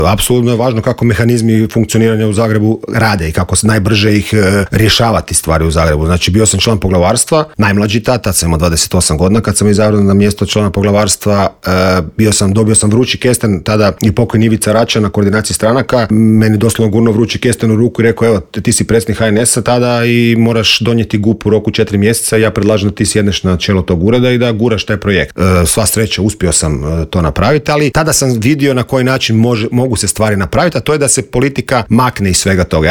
Apsolutno je važno kako mehanizmi funkcioniranja u Zagrebu rade i kako se najbrže ih rješavati stvari u Zagrebu. Znači, bio sam član poglavarstva, najmlađi tad sam imao 28 godina kad sam izabran na mjesto člana poglavarstva. Dobio sam vrući kesten, tada i pokojni Ivica Račan na koordinaciji stranaka, meni doslovno gurno vrući kesten u ruku i rekao, evo, ti si predsjednik HNS-a tada i moraš donijeti GUP u roku 4 mjeseca, ja predlažem da ti sjedneš na čelo tog ureda i da guraš taj projekt. Sva sreća, uspio sam to napraviti, ali tada sam vidio na koji način mogu se stvari napraviti, a to je da se politika makne iz svega toga.